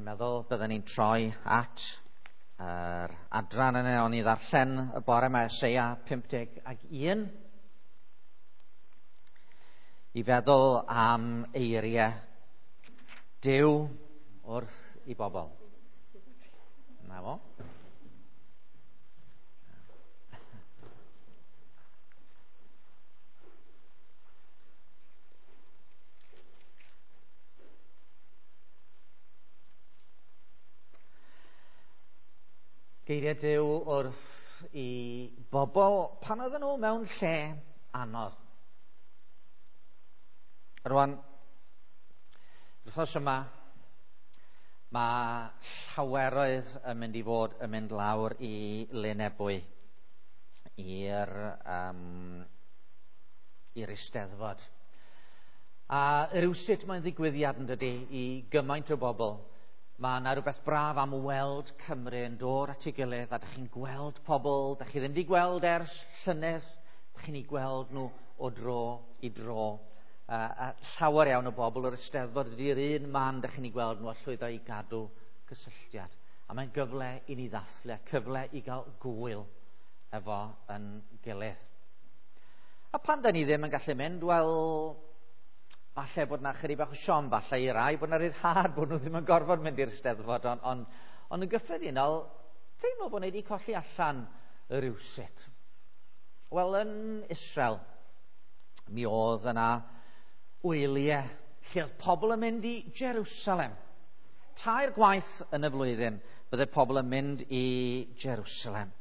meddwl byddwn ni'n troi at yr adran yna o'n i ddarllen y bore yma, Eseia 51, i feddwl am eiriau Duw wrth i bobl. Na fo. Geiriau Duw wrth i bobl pan oedden nhw mewn lle anodd. Rwan, wythnos yma, mae llaweroedd yn mynd i fod yn mynd lawr i Lynebwy, i'r Eisteddfod. A rywsut mae'n ddigwyddiad yn dydy i gymaint o bobl. Mae yna rhywbeth braf am weld Cymru yn dod at ei gilydd, a dych chi'n gweld pobl, dych chi ddim wedi gweld ers llynedd, dych chi'n ei gweld nhw o dro i dro. A llawer iawn o bobl o'r Eisteddfod ydy'r un man dych chi'n ei gweld nhw a llwyddo i gadw cysylltiad. A mae'n gyfle i ni ddathlu, a cyfle i gael gwyl efo yn gilydd. A pan da ni ddim yn gallu mynd, wel, falle bod na chydig bach o siom, falle i rai bod na ryddhad bod nhw ddim yn gorfod mynd i'r Steddfod, ond yn gyffredinol, teimlo bod ni wedi colli allan rywsut. Wel, yn Israel, mi oedd yna wyliau lle oedd pobl yn mynd i Jerusalem. 3 gwaith yn y flwyddyn bydde pobl yn mynd i Jerusalem.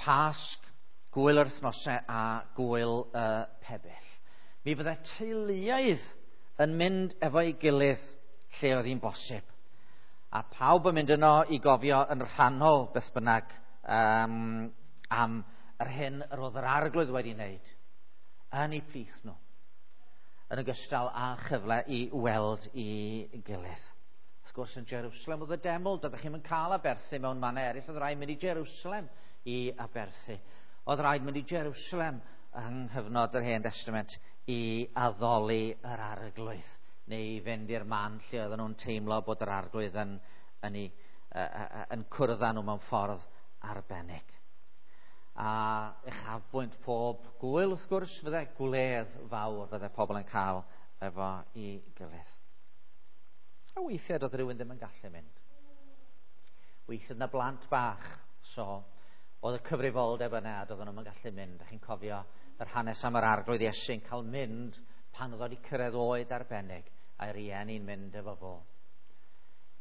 Pasg, gwyl yr wythnosau a gwyl y pebyll. Mi fydde teuluoedd yn mynd efo'i gilydd lle oedd hi'n bosib. A pawb yn mynd yno i gofio yn rhannol beth bynnag am yr hyn yr oedd yr Arglwydd wedi wneud yn eu plith nhw, yn ogystal â chyfle i weld i gilydd. Wrth gwrs, yn Jerusalem oedd y deml, doeddech chi'm yn cael aberthu mewn mannau eraill, oedd rhaid mynd i Jerusalem i aberthu. Oedd rhaid mynd i Jerusalem yng nghyfnod yr Hen Testament i addoli yr Arglwydd, neu i fynd i'r man lle oedden nhw'n teimlo bod yr Arglwydd yn cwrdd â nhw mewn ffordd arbennig. A uchafbwynt pob gwyl, wrth gwrs, fydde gwledd fawr fydde pobl yn cael efo i gilydd. A weithiau doedd rhywun ddim yn gallu mynd. Weithiau na blant bach, so oedd y cyfrifoldeb yna a doedden nhw'n gallu mynd. A chi'n cofio yr hanes am yr Arglwydd Iesu'n cael mynd pan oedd wedi cyrraedd oed arbennig a'i rieni'n mynd efo fo.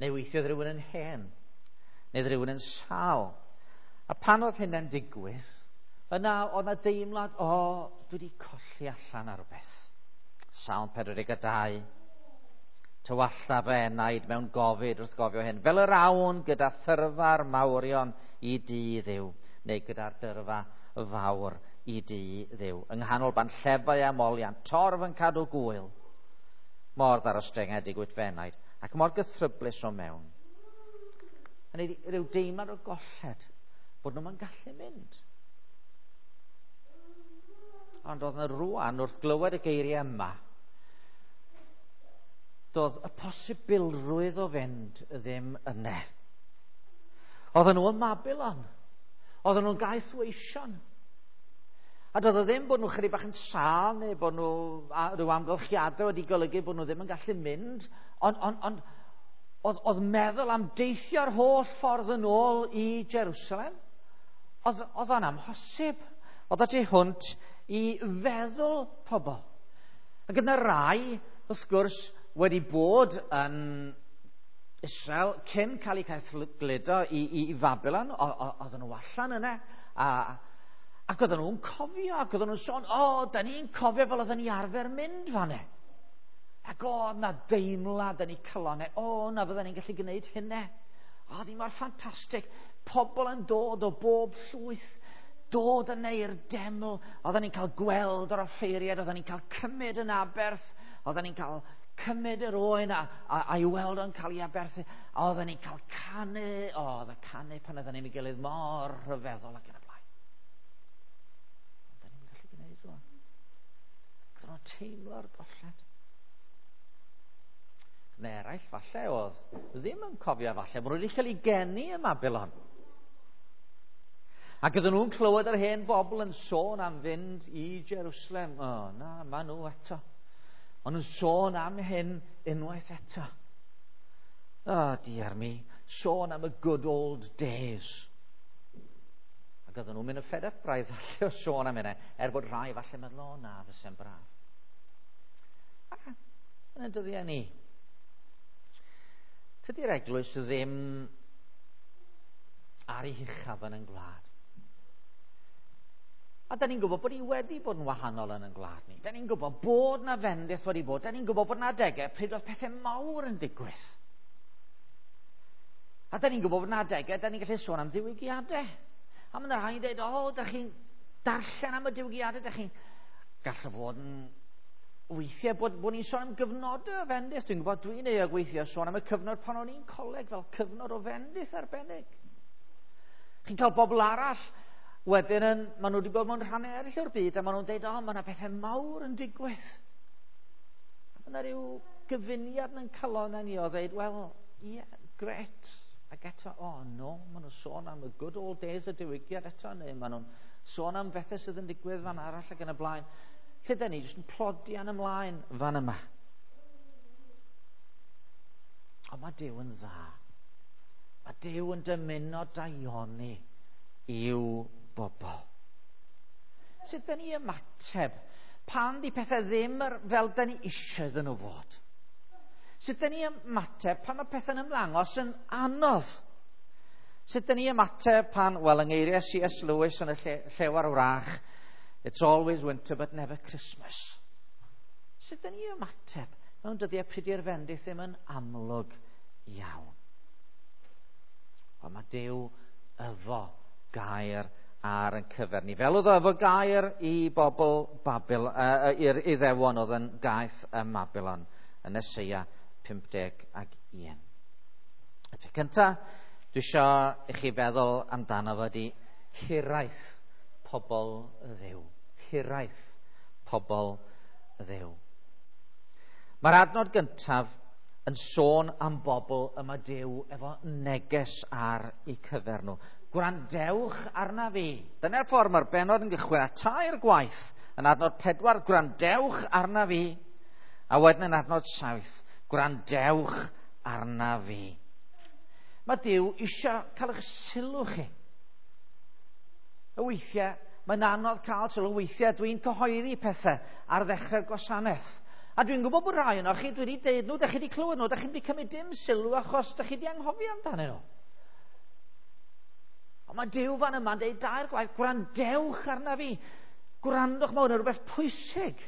Neu weithiau oedd rhywun yn hen, neu oedd rhywun yn sâl. A pan oedd hynna'n digwydd, yna oedd yna deimlad, o, dwi wedi colli allan ar rhywbeth. Salm 42, tywallta fy enaid mewn gofid wrth gofio hyn, fel yr awn gyda thyrfa'r mawrion i dŷ Dduw, neu gyda'r dyrfa fawr i dŷ Dduw. Yng nghanol banllefau a moliant, torf yn cadw gwyl, mor ddarostyngedig wyt fy enaid, ac mor gythryblus o mewn. Hynny ydi, rhyw deimlad o golled, bod nhw'm yn gallu mynd. Ond oedd yna rwan, wrth glywed y geiriau yma, doedd y posibilrwydd o fynd ddim yna. Oedden nhw yn Babylon. Oedden nhw'n gaethweision. A doedd o ddim bod nhw chydig bach yn sâl neu bod nhw rhyw amgylchiadau wedi golygu bod nhw ddim yn gallu mynd, ond oedd meddwl am deithio'r holl ffordd yn ôl i Jerusalem, oedd o'n amhosib. Oedd o tu hwnt i feddwl pobl. Ac yna rai, wrth gwrs, wedi bod yn Israel cyn cael eu caethgludo i Babylon, oedden nhw allan yna, ac oedden nhw'n cofio, ac oedden nhw'n sôn, o, da ni'n cofio fel oedden ni arfer mynd fan'na. Ac oedd na deimlad yn eu calonnau, o, na fydden ni'n gallu gwneud hynna. O, ddim mor ffantastig. Pobl yn dod o bob llwyth, dod yna i'r deml. Oedden ni'n cael gweld yr offeiriad, oedden ni'n cael cymryd yn aberth, oedden ni'n cael cymryd yr oen a'i weld o'n cael ei aberthu. A oedden ni'n cael canu, o, oedd y canu pan oedden ni'n gilydd mor rhyfeddol ac yn y blaen. Ond da ni'n gallu gwneud rwan. Ac oedden nhw'n teimlo'r golled. Neu eraill falle oedd ddim yn cofio falle, bod nhw wedi cael eu geni ym Mabilon. Ac ydyn nhw'n clywed yr hen bobl yn sôn am fynd i Jerusalem. O, na, ma nhw eto. Ond nhw'n sôn am hyn unwaith eto. O, diar mi, sôn am y good old days. Ac oedden nhw'n mynd yn fed up braidd falle o sôn am hynna, er bod rhai falle meddwl, o na, fyse'n braf. A, yn y dyddiau ni, tydi'r eglwys ddim ar ei huchaf yn ein gwlad. A da ni'n gwybod bod hi wedi bod yn wahanol yn ein gwlad ni. Da ni'n gwybod bod na fendith wedi bod. Da ni'n gwybod bod na adegau pryd oedd pethau mawr yn digwydd. A da ni'n gwybod bod na adegau, da ni'n gallu sôn am ddiwygiadau. A mae yna rhai'n dweud, o, da chi'n darllen am y diwygiadau, da chi'n gallu fod yn weithiau bod ni'n sôn am gyfnodau o fendith. Dwi'n gwybod dwi'n euog weithiau sôn am y cyfnod pan o'n i'n coleg fel cyfnod o fendith arbennig. Chi'n cael bobl arall wedyn yn, maen nhw wedi bod mewn rhannau eraill o'r byd a maen nhw'n dweud, o, mae yna pethau mawr yn digwydd. A mae yna rhyw gyfuniad yn calon ni o dweud, wel, ie, yeah, gret. Ac eto, o, oh, no, maen nhw'n sôn am y good old days y diwygiad eto, neu maen nhw'n sôn am bethau sydd yn digwydd fan arall ac yn y blaen. Lle da ni jyst yn plodian ymlaen fan yma. Ond mae Duw yn dda. Mae Duw yn dymuno daioni i'w bobl. Sut da ni ymateb pan di pethau ddim fel da ni eisiau iddyn nhw fod? Sut da ni ymateb pan mae pethau'n ymddangos yn anodd? Sut da ni ymateb pan, wel, yng ngeiriau C.S. Lewis yn y Llew a'r Wrach, it's always winter but never Christmas. Sut da ni ymateb mewn dyddiau pryd i'r fendith ddim yn amlwg iawn? Ond mae Duw efo gair ar yn cyfer ni. Fel oedd o efo gair i bobl Babil, i'r Iddewon oedd yn gaeth ym Mabilon yn Eseia 51. Y peth cyntaf dwi eisiau i chi feddwl amdano fo ydi hiraeth pobl Dduw. Hiraeth pobl Dduw. Mae'r adnod gyntaf yn sôn am bobl y mae Duw efo neges ar eu cyfer nhw. Gwrandewch arna fi. Dyna'r ffordd mae'r bennod yn gychwyn a tair gwaith yn adnod 4, gwrandewch arna fi. A wedyn yn adnod 7, gwrandewch arna fi. Mae Duw eisiau cael eich sylw chi. Y weithiau, mae'n anodd cael sylw. Weithiau dwi'n cyhoeddi pethau ar ddechrau'r gwasanaeth. A dwi'n gwybod bod rhai yno chi, dwi wedi deud nhw, da chi wedi clywed nhw, da chi'n wedi cymryd dim sylw achos da chi wedi anghofio amdanyn nhw. Ond mae Duw fan yma'n deud dair gwaith, gwrandewch arna fi. Gwrandwch, mae hwn yn rhywbeth pwysig.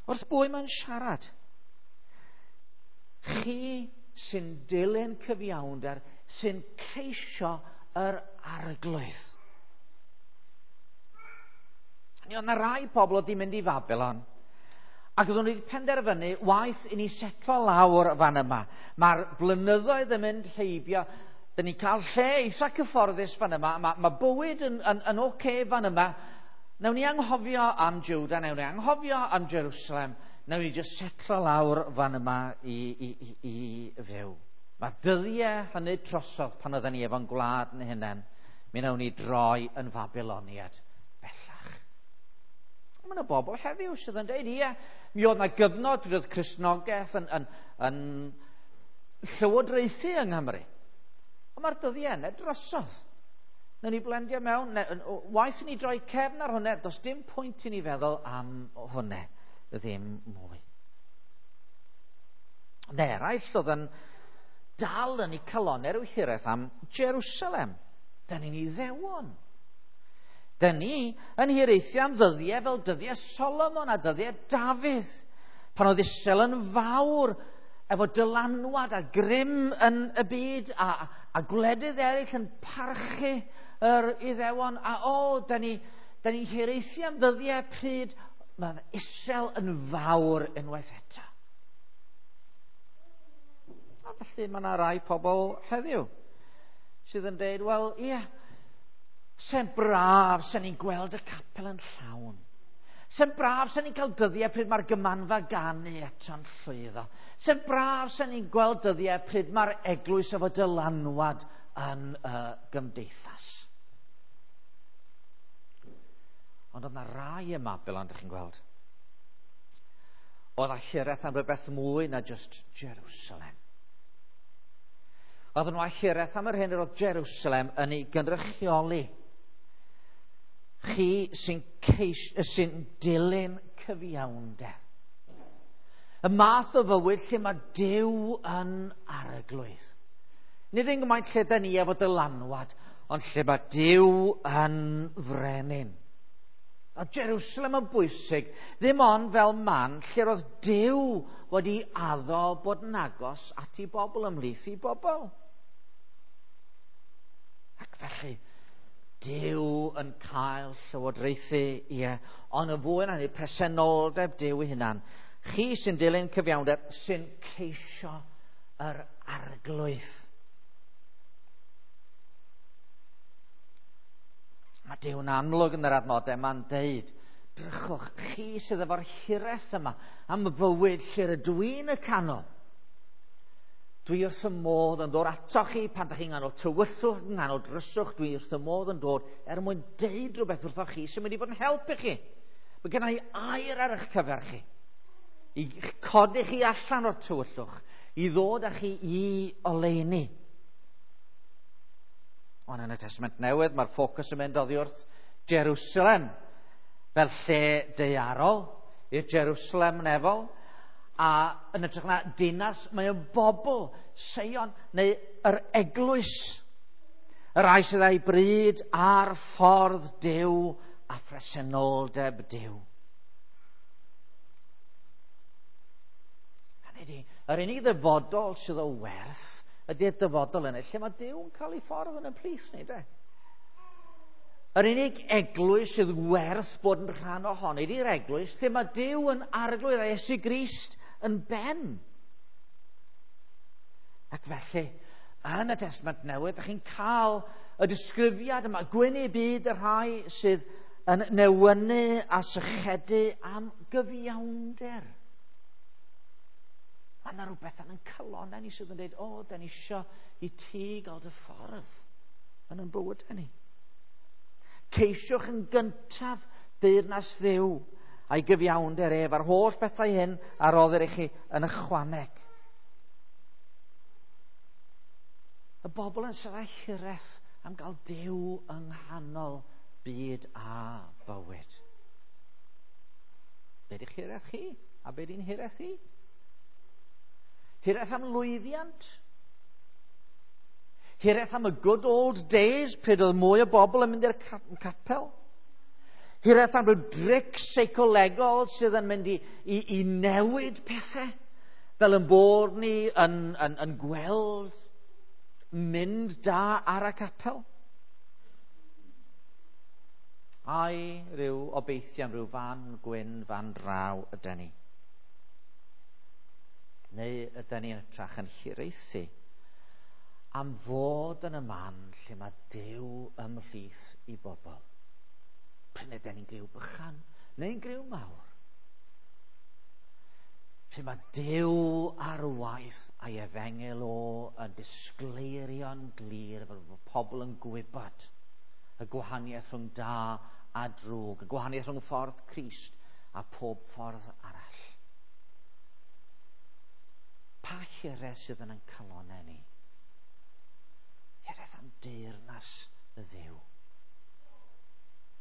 Wrth bwy mae'n siarad? Chi sy'n dilyn cyfiawnder, sy'n ceisio yr Arglwydd. Mi oedd yna rai pobl oedd wedi mynd i Fabilon, ac oedden nhw wedi penderfynu, waeth i ni setlo lawr fan yma. Mae'r blynyddoedd yn mynd heibio, dyn ni'n cael lle eitha cyfforddus fan yma, mae bywyd yn oce fan yma. Nawn ni anghofio am Juda, nawn ni anghofio am Jerusalem, nawn ni jyst setlo lawr fan yma i fyw. Mae'r dyddiau hynny trosodd pan oedden ni efo'n gwlad yn hunain, mi nawn ni droi yn Fabiloniad bellach. Mae yna bobl heddiw sydd yn dweud, ie, mi oedd yna gyfnod pryd oedd Cristnogaeth yn llywodraethu yng Nghymru. Ond mae'r dyddiau yna drosodd. Nawn ni blendio mewn, waeth i ni droi cefn ar hwnna, does dim pwynt i ni feddwl am hwnna ddim mwy. Ond eraill oedd yn dal yn eu calonnau rhyw hiraeth am Jerusalem. Da ni'n Iddewon. Da ni yn hiraethu am ddyddiau fel dyddiau Solomon a dyddiau Dafydd, pan oedd Israel yn fawr efo dylanwad a grym yn y byd a gwledydd eraill yn parchu yr Iddewon. A o, da ni'n hiraethu am ddyddiau pryd mae Israel yn fawr unwaith eto. A felly mae yna rai pobl heddiw sydd yn dweud, wel, ie, se'n braf, se'n ni'n gweld y capel yn llawn. Se'n braf sy'n ni'n cael dyddiau pryd mae'r gymanfa ganu eto'n llwyddo. Se'n braf sy'n ni'n gweld dyddiau pryd mae'r eglwys efo dylanwad yn y gymdeithas. Ond oedd yna rai ym Mabilon, dych chi'n gweld, oedd â hiraeth am rhywbeth mwy na just Jerusalem. Oedden nhw â hiraeth am yr hyn yr oedd Jerusalem yn ei gynrychioli. Chi sy'n sy dilyn cyfiawnder. Y math o fywyd lle mae Duw yn arglwydd. Nid yn gymaint lle da ni efo dylanwad, ond lle mae Duw yn frenin. A Jerusalem yn bwysig, ddim ond fel man lle roedd Duw wedi addo bod yn agos at ei bobl, ymhlith ei bobl. Ac felly, Duw yn cael llywodraethu, ie, ond yn fwy na hynny, presenoldeb Duw ei hunan. Chi sy'n dilyn cyfiawnder, sy'n ceisio yr arglwydd. Mae Duw'n amlwg yn yr adnodau yma'n deud, drychwch, chi sydd efo'r hiraeth yma am fywyd lle rydw i'n y canol. Dwi wrth y modd yn dod ato chi pan ydych chi'n nghanol tywyllwch, yng nghanol dryswch, dwi wrth y modd yn dod er mwyn deud rhywbeth wrthoch chi sy'n mynd i fod yn helpu chi. Mae gen i air ar eich cyfer chi. I codi chi allan o'r tywyllwch, i ddod â chi i oleuni. Ond yn y Testament Newydd, mae'r ffocws yn mynd oddi wrth Jerusalem fel lle daearol i'r Jerusalem nefol, a yn hytrach na dinas, mae o'n bobl, Seion, neu yr eglwys, y rhai sydd â'i bryd ar ffordd Duw a phresenoldeb Duw. Hynny ydi, yr unig ddyfodol sydd o werth ydy'r dyfodol yna, lle mae Duw yn cael ei ffordd yn y plith ni, de. Yr unig eglwys sydd werth bod yn rhan ohoni ydy'r eglwys lle mae Duw yn arglwydd a Iesu Grist yn ben. Ac felly, yn y Testament Newydd, ydych chi'n cael y disgrifiad yma, gwyn i byd y rhai sydd yn newynu a sychedu am gyfiawnder. Mae yna rhywbeth yn ein calonnau ni sydd yn dweud, o, da ni isio i ti gael dy ffordd yn ein bywydau ni. Ceisiwch yn gyntaf deyrnas Dduw a'i gyfiawnder ef, a'r holl bethau hyn a roddir i chi yn ychwaneg. Y bobl yn siarad hiraeth am gael Duw yng nghanol byd a bywyd. Be di'ch hiraeth chi? A be di'n hiraeth i? Hiraeth am lwyddiant? Hiraeth am y good old days pryd oedd mwy o bobl yn mynd i'r capel? Hiraeth am ryw dric seicolegol sydd yn mynd i newid pethau? Fel yn bod ni yn gweld mynd da ar y capel? Ai rhyw obeithio am ryw fan gwyn fan draw ydy ni? Neu ydy ni yn hytrach yn hiraethu am fod yn y man lle mae Duw ymhlith i bobl? Pryn ydyn ni'n griw bychan neu'n griw mawr? Lle mae Duw ar waith a'i efengyl o yn disgleirio'n glir fel bod pobl yn gwybod y gwahaniaeth rhwng da a drwg, y gwahaniaeth rhwng ffordd Crist a pob ffordd arall. Pa hiraeth sydd yn ein calonnau ni? Hiraeth am deyrnas y Dduw.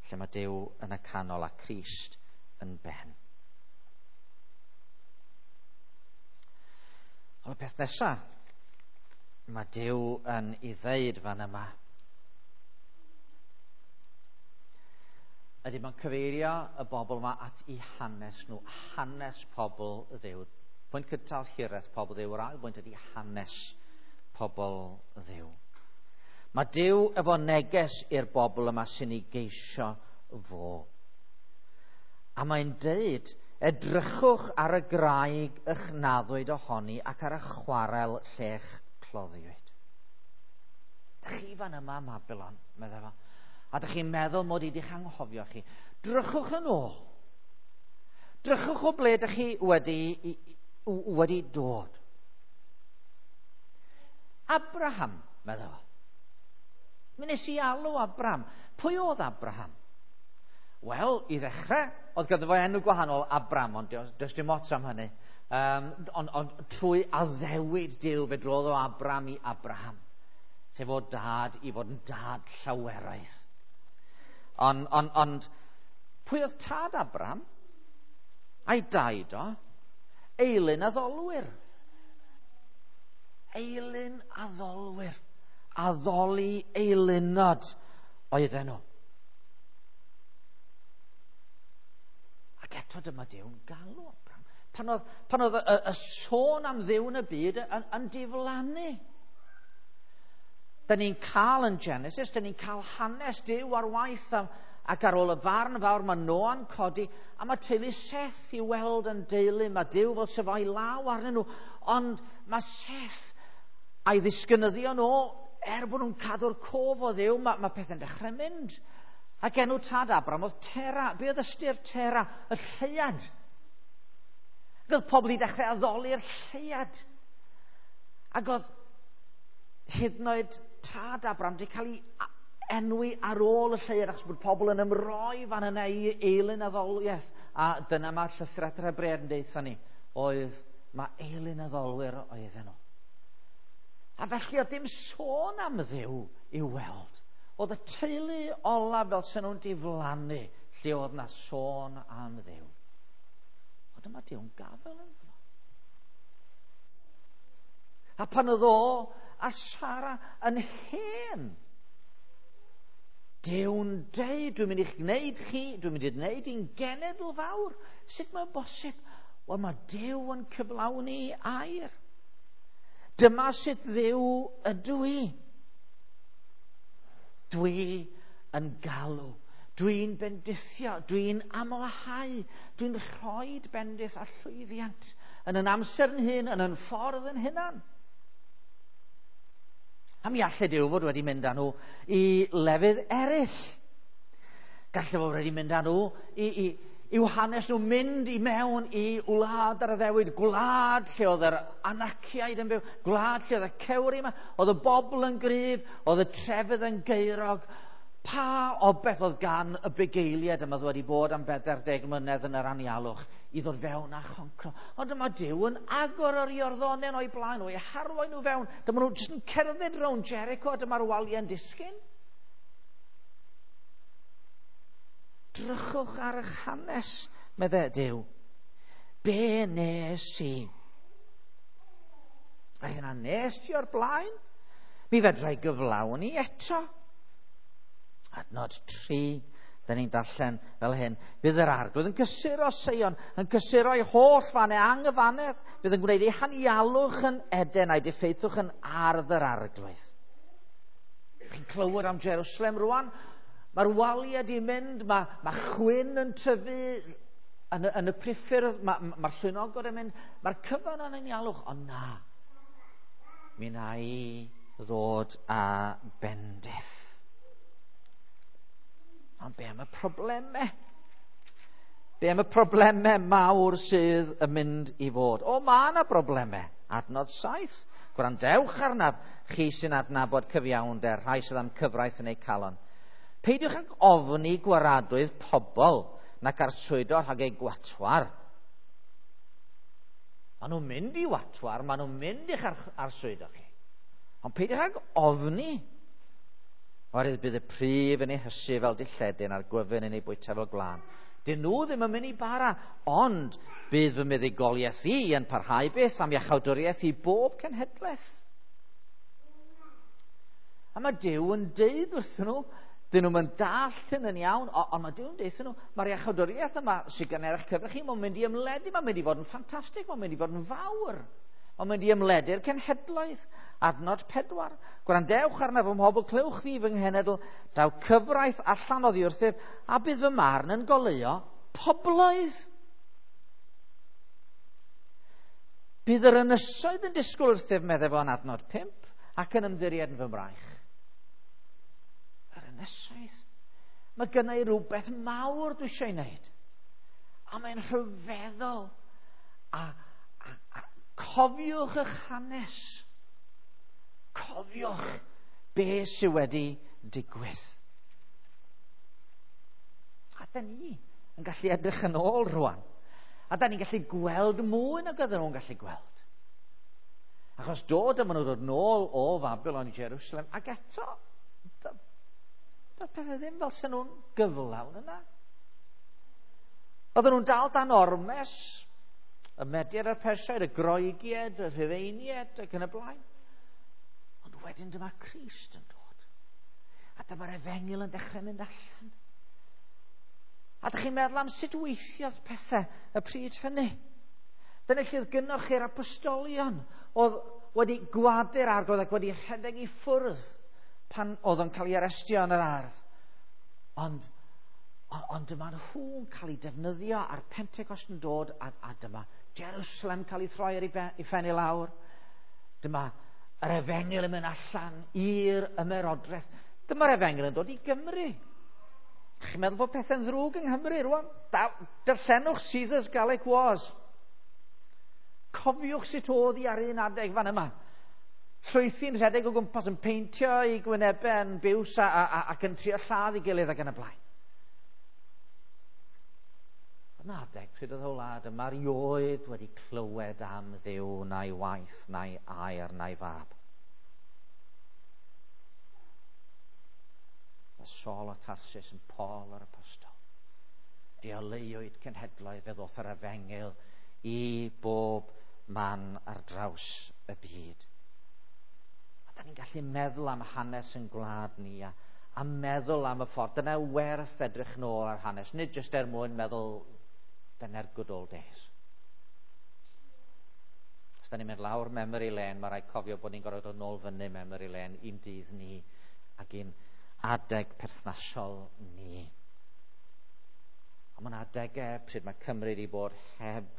Lle mae Duw yn y canol a Crist yn ben. Ond y peth nesaf, mae Duw yn ei ddeud fan yma, ydy mae'n cyfeirio y bobl yma at eu hanes nhw, hanes pobl Dduw. Pwynt cyntaf hiraeth pobl Dduw, yr ail bwynt ydy hanes pobl Dduw. Mae Duw efo neges i'r bobl yma sy'n ei geisio fo. A mae'n deud, edrychwch ar y graig y'ch naddwyd ohoni ac ar y chwarel lle'ch cloddiwyd. Dych chi fan yma, Mabilon, meddai fo, a dych chi'n meddwl mod i wedi'ch anghofio chi. Drychwch yn ôl. Drychwch o ble ydych chi wedi dod. Abraham, meddai fo. Mi nes i alw Abraham. Pwy oedd Abraham? Wel, i ddechrau, oedd ganddo fo enw gwahanol, Abram, ond does dim ots am hynny. Ond trwy addewid Duw, fe drodd o Abram i Abraham. Sef o dad i fod yn dad llaweraidd. Ond pwy oedd tad Abraham? A'i daid o? Eilun addolwyr. Eilun addolwyr. Addoli eilunod oedden nhw. Ac eto dyma Duw'n galw Abraham. Pan oedd y sôn am Dduw yn y byd yn diflannu. Da ni'n cael yn Genesis, da ni'n cael hanes Duw ar waith ac ar ôl y farn fawr mae Noa'n codi a mae teulu Seth i weld yn deulu. Mae Duw fel sef o'i law arnyn nhw. Ond mae Seth a'i ddisgynyddion o, er bod nhw'n cadw'r cof o Dduw, mae pethau'n dechrau mynd. Ac enw tad Abraham oedd Tera. Be oedd ystyr Tera? Y lleuad. Ac oedd pobl i dechrau addoli'r lleuad. Ac oedd hyd yn oed tad Abraham wedi cael ei enwi ar ôl y lleuad, achos bod pobl yn ymroi fan yna i eilun addoliaeth. A dyna mae'r llythrau yr Hebreaid yn deutha ni, oedd mae eilun addolwyr oedden nhw. A felly oedd dim sôn am Dduw i'w weld. Oedd y teulu olaf fel sy'n nhw'n diflannu lle oedd na sôn am Dduw. Ond dyma Duw'n gafel yn fo. A pan oedd o a Sara yn hen, Duw'n deud, dwi'n mynd i'ch gwneud chi, dwi'n mynd i wneud i'n genedl fawr. Sut mae'n bosib? Wel, mae Duw yn cyflawni air. Dyma sut Dduw ydw i. Dwi yn galw, dwi'n bendithio, dwi'n amlhau, dwi'n rhoi bendith a llwyddiant yn yn amser yn hun, yn yn ffordd yn hunan. A mi allai Duw fod wedi mynd â nhw i lefydd eraill. Gallai fod wedi mynd â nhw i'w hanes nhw mynd i mewn i wlad ar addewid, gwlad lle oedd yr Anaciaid yn byw, gwlad lle oedd y cewri yma, oedd y bobl yn gryf, oedd y trefydd yn geirog. Pa obeth oedd gan y bugeiliaid yma wedi bod am 40 mlynedd yn yr anialwch i ddod fewn a choncro. Ond dyma Duw yn agor yr Iorddonen o'i blaen, o'i harwain nhw fewn. Dyma nhw jyst yn cerdded rownd Jericho, dyma'r waliau'n disgyn. Drychwch ar eich hanes, meddai Duw. Be nes i? A hynna nes ti o'r blaen? Mi fedra i gyflawni eto. Adnod 3, da ni'n darllen fel hyn. Bydd yr Arglwydd yn cysuro Seion, yn cysuro ei holl fannau anghyfannedd. Bydd yn gwneud ei hanialwch yn Eden a'i diffeithwch yn ardd yr Arglwydd. Chi'n clywed am Jerusalem rwan? Mae'r waliau di mynd, mae chwyn yn tyfu yn y priffyrdd, mae'r llwynogod yn mynd, mae'r cyfan yn anialwch, ond na, mi na i ddod â bendith. Ond be am y problemau? Be am y problemau mawr sydd yn mynd i fod? O, mae yna problemau. Adnod 7. Gwrandewch arnaf, chi sy'n adnabod cyfiawnder, rhai sydd am cyfraith yn eu calon. Peidiwch ag ofni gwaradwydd pobl nac arswydo rhag eu gwatwar. Maen nhw'n mynd i watwar, maen nhw'n mynd i'ch arswydo chi. Ond peidiwch ag ofni. Oherwydd bydd y pryf yn ei hysu fel dilledyn a'r gwyfyn yn ei bwyta fel gwlân. Dyn nhw ddim yn mynd i bara, ond bydd fy muddugoliaeth i yn parhau byth am iachawdwriaeth i bob cenhedlaeth. A mae Duw yn deud wrthyn nhw, dyn nhw'n mynd dallt hyn yn iawn, ond mae Duw yn deud wrthyn nhw, mae'r iachawdwriaeth yma sydd gan eich cyfer chi, mae'n mynd i ymledu, mae'n mynd i fod yn ffantastig, mae'n mynd i fod yn fawr. Mae'n mynd i ymledu'r cenhedloedd. Adnod 4. Gwrandewch arnaf fy mhobl, clywch fi fy nghenedl, daw cyfraith allan oddi wrthyf, a bydd fy marn yn goleuo pobloedd. Bydd yr ynysoedd yn disgwyl wrthyf, meddai fo yn adnod 5, ac yn ymddiried yn fy mraich. Yr ynysoedd. Mae gynna i rhywbeth mawr dwi eisiau ei wneud. A mae'n rhyfeddol. A cofiwch eich hanes. Cofiwch be sydd wedi digwydd. A da ni yn gallu edrych yn ôl rwan. A da ni'n gallu gweld mwy nag oedden nhw'n gallu gweld. Achos dod yma nhw ddod nôl o Fabilon i Jerusalem, ac eto, doedd pethau ddim fel sy'n nhw'n gyflawn yna. Oedden nhw'n dal dan ormes, y Mediad a'r Persiaid, y Groegiaid, y Rhufeiniaid, ac yn y blaen. Ond wedyn dyma Crist yn dod. A dyma'r efengyl yn dechrau mynd allan. A dych chi'n meddwl am sut weithiodd pethau y pryd hynny. Dyna lle oedd gynnoch chi'r apostolion oedd wedi gwadu'r arglwydd ac wedi rhedeg i ffwrdd pan oedd o'n cael ei arestio yn yr ardd. Ond dyma nhw'n cael ei defnyddio a'r Pentecost yn dod a dyma Jerusalem cael ei throi ar ei phen i lawr. Dyma yr efengyl yn mynd allan i'r ymerodraeth. Dyma'r efengyl yn dod i Gymru. Chi'n meddwl bod pethau'n ddrwg yng Nghymru rwan? Darllenwch Caesar's Gallic Wars. Cofiwch sut oedd hi ar un adeg fan yma. Llwythi'n rhedeg o gwmpas yn peintio i gwynebau yn biws ac yn trio lladd i gilydd ac yn y blaen. Yna adeg pryd oedd y wlad yma erioed wedi clywed am Dduw na'i waith, na'i air, na'i fab. A Saul o Tarsus yn Paul yr Apostol. Deoleuwyd cenhedloedd, fe ddoth yr efengyl i bob man ar draws y byd. A da ni'n gallu meddwl am hanes yn gwlad ni a meddwl am y ffordd. Dyna werth edrych nôl ar hanes, nid jyst er mwyn meddwl dyna'r good old days. Os da ni'n mynd lawr memory lane, mae rhaid cofio bod ni'n gorfod dod nôl fyny memory lane un dydd ni ac un adeg perthnasol ni. A mae'n adegau pryd mae Cymru wedi bod heb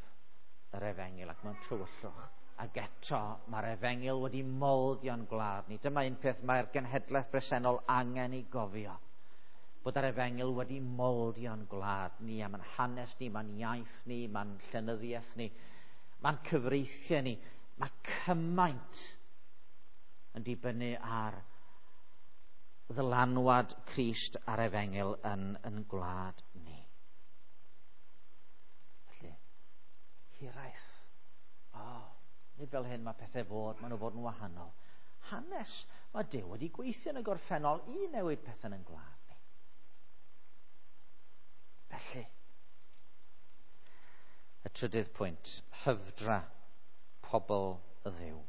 yr efengyl ac mae'n tywyllwch. Ac eto mae'r efengyl wedi moldio'n gwlad ni. Dyma un peth mae'r genhedlaeth bresennol angen i gofio. Bod yr efengyl wedi moldio'n gwlad ni, a mae'n hanes ni, mae'n iaith ni, mae'n llenyddiaeth ni, mae'n cyfreithiau ni. Mae cymaint yn dibynnu ar ddylanwad Crist a'r efengyl yn gwlad ni. Felly, hiraeth. Nid fel hyn mae pethau fod, maen nhw fod yn wahanol. Hanes, mae Duw wedi gweithio yn y gorffennol i newid pethau yn gwlad ni. Felly, y trydydd pwynt, hyfdra pobl y Dduw.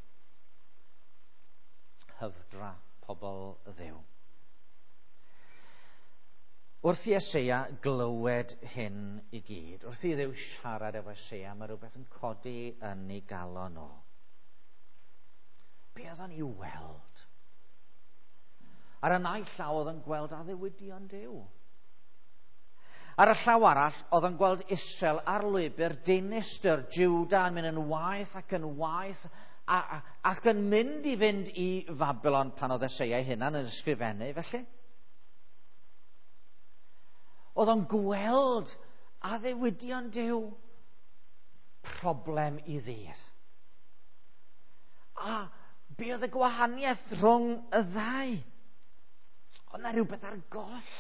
Hyfdra pobl y Dduw. Wrth i Eseia glywed hyn i gyd, wrth i Dduw siarad efo Eseia, mae rhywbeth yn codi yn ei galon o. Be oedd o'n ei weld? Ar y naill llaw oedd o'n gweld addewidion Duw. Ar y llaw arall oedd o'n gweld Israel ar lwybr dinistr, Juda yn mynd yn waeth ac yn waeth ac yn mynd i fynd i Fabilon pan oedd Eseia ei hunan yn ysgrifennu, felly. Oedd o'n gweld addewidion Duw, problem i ddydd. A be oedd y gwahaniaeth rhwng y ddau? Oedd na rhywbeth ar goll.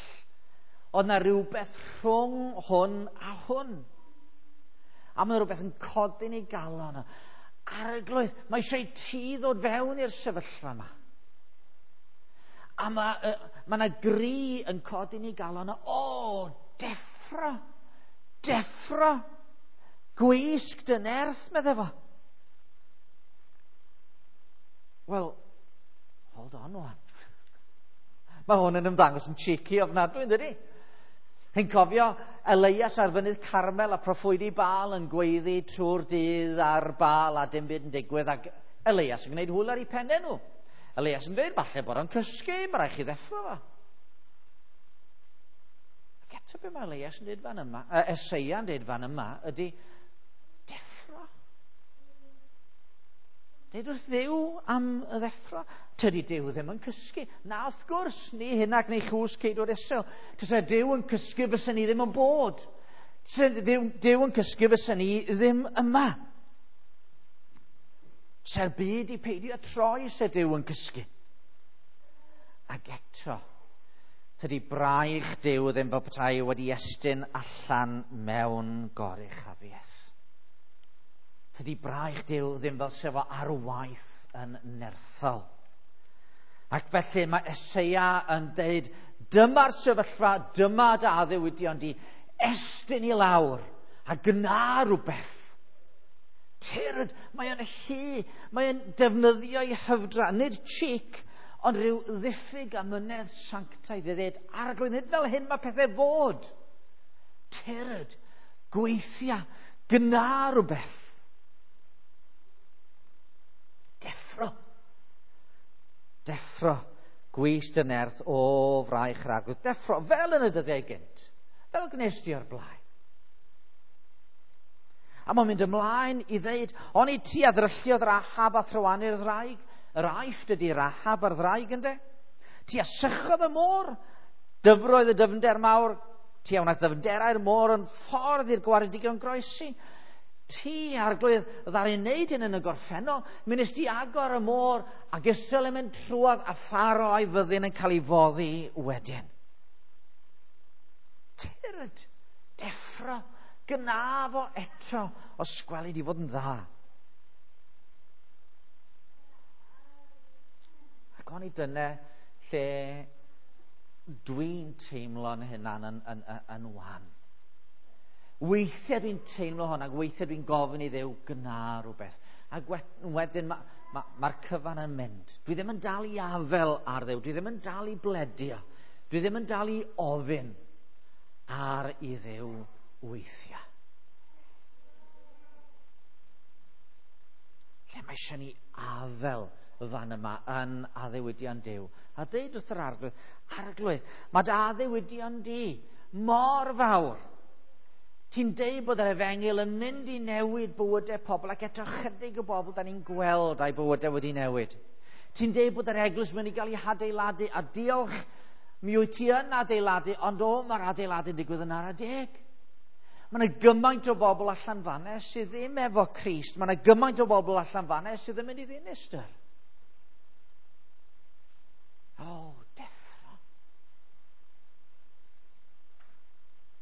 Oedd na rhywbeth rhwng hwn a hwn. A mae rhywbeth yn codi'n ei galon. Arglwydd, mae eisiau ti ddod fewn i'r sefyllfa yma. A mae yna gri yn codi'n ei galon. O, deffro, deffro, gwisg dy nerth, medde fo. Wel, hold on wan. Mae hwn yn ymddangos yn cheeky ofnadwy, yn dydi? Chi'n cofio Elias ar fynydd Carmel a proffwydi Baal yn gweiddi trwy'r dydd ar Baal a dim byd yn digwydd, ac Elias yn gwneud hwyl ar eu pennau nhw. Elias yn dweud, falle bod o'n cysgu, mae rhaid chi ddeffro fo. Ac eto be mae Elias yn dweud fan yma, Eseia yn dweud fan yma, ydy deffro. Dweud wrth Dduw am y ddeffro. Tydi Duw ddim yn cysgu. Na, wrth gwrs, ni hyn ac ni chws ceidwad Israel. Tysa Duw yn cysgu fysa ni ddim yn bod. Se Duw yn cysgu fysa ni ddim yma. Se'r byd i peidio troi se Duw yn cysgu. Ac eto, tydi braich Duw ddim fel petai wedi estyn allan mewn goruchafiaeth. Tydi braich Duw ddim fel sef o ar waith yn nerthol. Ac felly mae Eseia yn deud, dyma'r sefyllfa, dyma dy addewidion di, estyn i lawr a gna rhywbeth. Tyrd, mae o'n hy, mae o'n defnyddio ei hyfdra, nid cheek, ond rhyw ddiffyg amynedd sanctaidd i ddweud, Arglwydd, nid fel hyn mae pethau fod. Tyrd, gweithia, gna rhywbeth. Deffro. Deffro. Gwys dy nerth o fraich yr Arglwydd. Deffro, fel yn y dyddiau gynt. Fel gwnes di o'r blaen. A mae'n mynd ymlaen i ddeud, oni ti a ddrylliodd Rahab a thrywanu'r ddraig? Yr Aifft ydy Rahab a'r ddraig ynde? Ti a sychodd y môr, dyfroedd y dyfnder mawr, ti a wnaeth ddyfnderau'r môr yn ffordd i'r gwaredigion groesi. Ti, Arglwydd, ddaru wneud hyn yn y gorffennol, mi nes di agor y môr ac Israel yn mynd trwodd a Pharo a'i fyddin yn cael ei foddi wedyn. Tyrd, deffro, gna fo eto, os gweli di fod yn dda. Ac o'n i dyna lle dwi'n teimlo'n hunan yn wan. Weithiau dwi'n teimlo hwn, ac weithiau dwi'n gofyn i Dduw gna rhywbeth. Ac wedyn mae'r cyfan yn mynd. Dwi ddim yn dal i afel ar Dduw, dwi ddim yn dal i bledio, dwi ddim yn dal i ofyn ar i Dduw weithiau. Lle mae eisiau ni afel fan yma yn addewidion Duw. A deud wrth yr Arglwydd, Arglwydd, mae dy addewidion di mor fawr. Ti'n deud bod yr efengyl yn mynd i newid bywydau pobl, ac eto chydig o bobl da ni'n gweld a'i bywydau wedi newid. Ti'n deud bod yr eglwys mynd i gael ei hadeiladu, a diolch, mi wyt ti yn adeiladu, ond o, mae'r adeiladu'n digwydd yn ara deg. Mae yna gymaint o bobl allan fanna sydd ddim efo Crist. Mae yna gymaint o bobl allan fanna sydd yn mynd i ddinistr. O, deffro.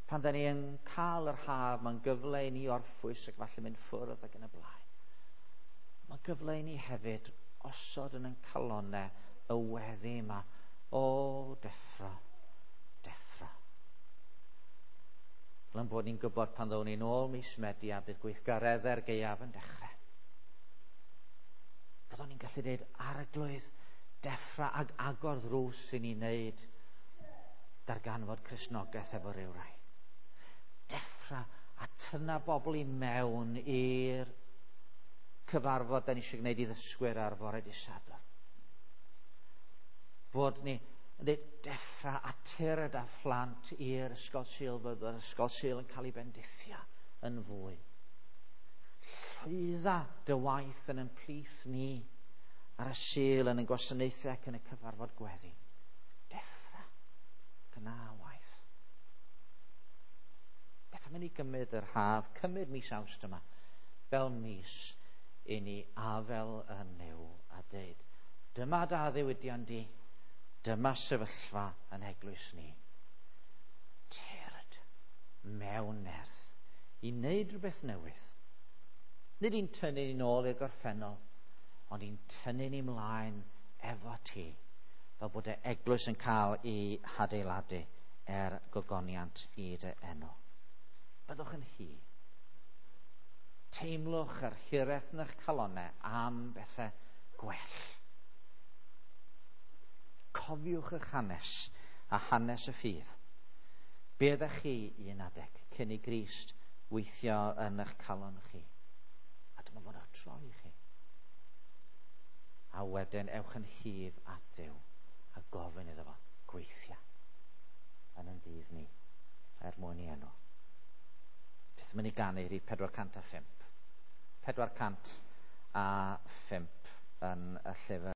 Pan da ni yn cael yr haf, mae'n gyfle i ni orffwys ac falle mynd ffwrdd ac yn y blaen. Mae'n gyfle i ni hefyd osod yn ein calonnau y weddi yma. O, deffro, deffro. Fel yn bod ni'n gwybod pan ddown ni'n ôl mis Medi a bydd gweithgareddau'r gaeaf yn dechrau. Byddwn ni'n gallu dweud, Arglwydd, deffra ag agor ddrws i ni wneud darganfod Cristnogaeth efo ryw rai. Deffra a tynna bobl i mewn i'r cyfarfod da ni eisiau gwneud i ddysgwyr ar fore dydd Sadwrn. Fod ni yn dweud deffra a tyrd a phlant i'r ysgol Sul, fydd yr ysgol Sul yn cael ei bendithio yn fwy. Llwydda dy waith yn ein plith ni ar y Sul yn ein gwasanaethau ac yn y cyfarfod gweddi. Deffra, gyna waith. Beth am i ni gymryd yr haf, cymryd mis Awst yma, fel mis i ni afel yn Nuw a deud, dyma dy addewidion di, dyma sefyllfa yn eglwys ni. Tyrd mewn nerth i wneud rhywbeth newydd. Nid i'n tynnu ni'n ôl i'r gorffennol, ond i'n tynnu ni mlaen efo ti, fel bod y eglwys yn cael ei hadeiladu er gogoniant i dy enw. Byddwch yn hy. Teimlwch yr hiraeth yn eich calonnau am bethau gwell. Cofiwch eich hanes a hanes y ffydd. Be ydych chi un adeg cyn i Grist weithio yn eich calon chi? A dyma fo'n eich troi chi. A wedyn ewch yn hyf at Dduw a gofyn iddo fo gweithio yn ein dydd ni er mwyn i enw. Beth yn mynd i ganu rhif 405. 405 yn y llyfr.